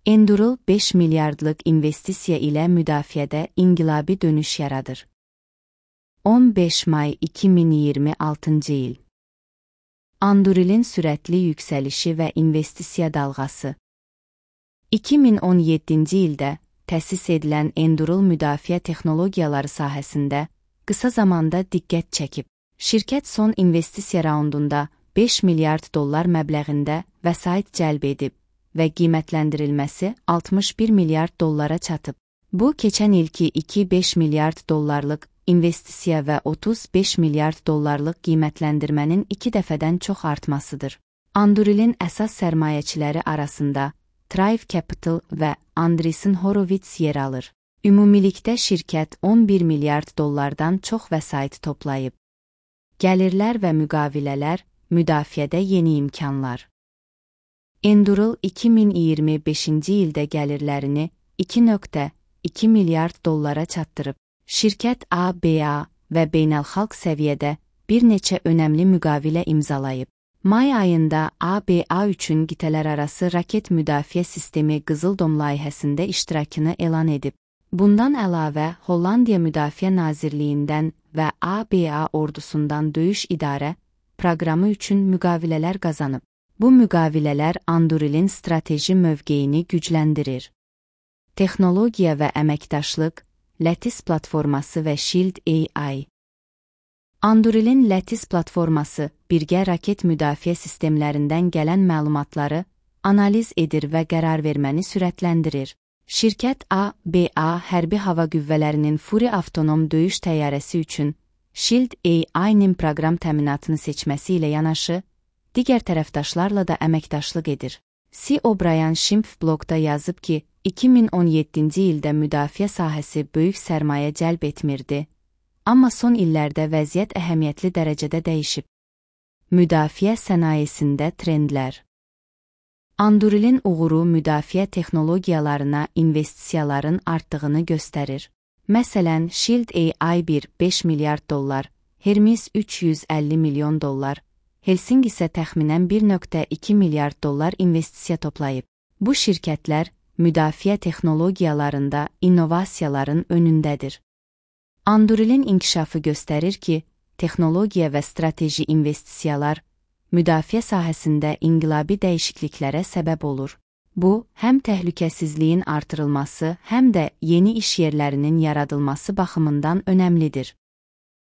Anduril 5 milyardlıq investisiya ilə müdafiədə inqilabi dönüş yaradır. 15 may 2026-cı il. Andurilin sürətli yüksəlişi və investisiya dalğası. 2017-ci ildə təsis edilən Anduril müdafiə texnologiyaları sahəsində qısa zamanda diqqət çəkib. Şirkət son investisiya raundunda 5 milyard dollar məbləğində vəsait cəlb edib və qiymətləndirilməsi 61 milyard dollara çatıb. Bu, keçən ilki 2,5 milyard dollarlıq investisiya və 35 milyard dollarlıq qiymətləndirmənin 2 dəfədən çox artmasıdır. Andurilin əsas sərmayəçiləri arasında Thrive Capital və Andreessen Horowitz yer alır. Ümumilikdə şirkət 11 milyard dollardan çox vəsait toplayıb. Gəlirlər və müqavilələr, müdafiədə yeni imkanlar. Anduril 2025-ci ildə gəlirlərini 2,2 milyard dollara çatdırıb. Şirkət ABA və beynəlxalq səviyyədə bir neçə önəmli müqavilə imzalayıb. May ayında ABA üçün qitələrarası raket müdafiə sistemi Qızıl Dom layihəsində iştirakını elan edib. Bundan əlavə, Hollandiya Müdafiə Nazirliyindən və ABA ordusundan döyüş idarə proqramı üçün müqavilələr qazanıb. Bu müqavilələr Andurilin strateji mövqeyini gücləndirir. Texnologiya və əməkdaşlıq, Lattice platforması və Shield AI. Andurilin Lattice platforması birgə raket müdafiə sistemlərindən gələn məlumatları analiz edir və qərar verməni sürətləndirir. Şirkət ABA hərbi hava qüvvələrinin Fury avtonom döyüş təyyarəsi üçün Shield AI-nin proqram təminatını seçməsi ilə yanaşı, digər tərəfdaşlarla da əməkdaşlıq edir. C. O'Brien Schimpf blogda yazıb ki, 2017-ci ildə müdafiə sahəsi böyük sərmayə cəlb etmirdi, amma son illərdə vəziyyət əhəmiyyətli dərəcədə dəyişib. Müdafiə sənayesində trendlər. Andurilin uğuru müdafiə texnologiyalarına investisiyaların artdığını göstərir. Məsələn, Shield AI 5 milyard dollar, Hermes 350 milyon dollar, Helsing isə təxminən 1,2 milyard dollar investisiya toplayıb. Bu şirkətlər müdafiə texnologiyalarında innovasiyaların önündədir. Andurilin inkişafı göstərir ki, texnologiya və strateji investisiyalar müdafiə sahəsində inqilabi dəyişikliklərə səbəb olur. Bu, həm təhlükəsizliyin artırılması, həm də yeni iş yerlərinin yaradılması baxımından önəmlidir.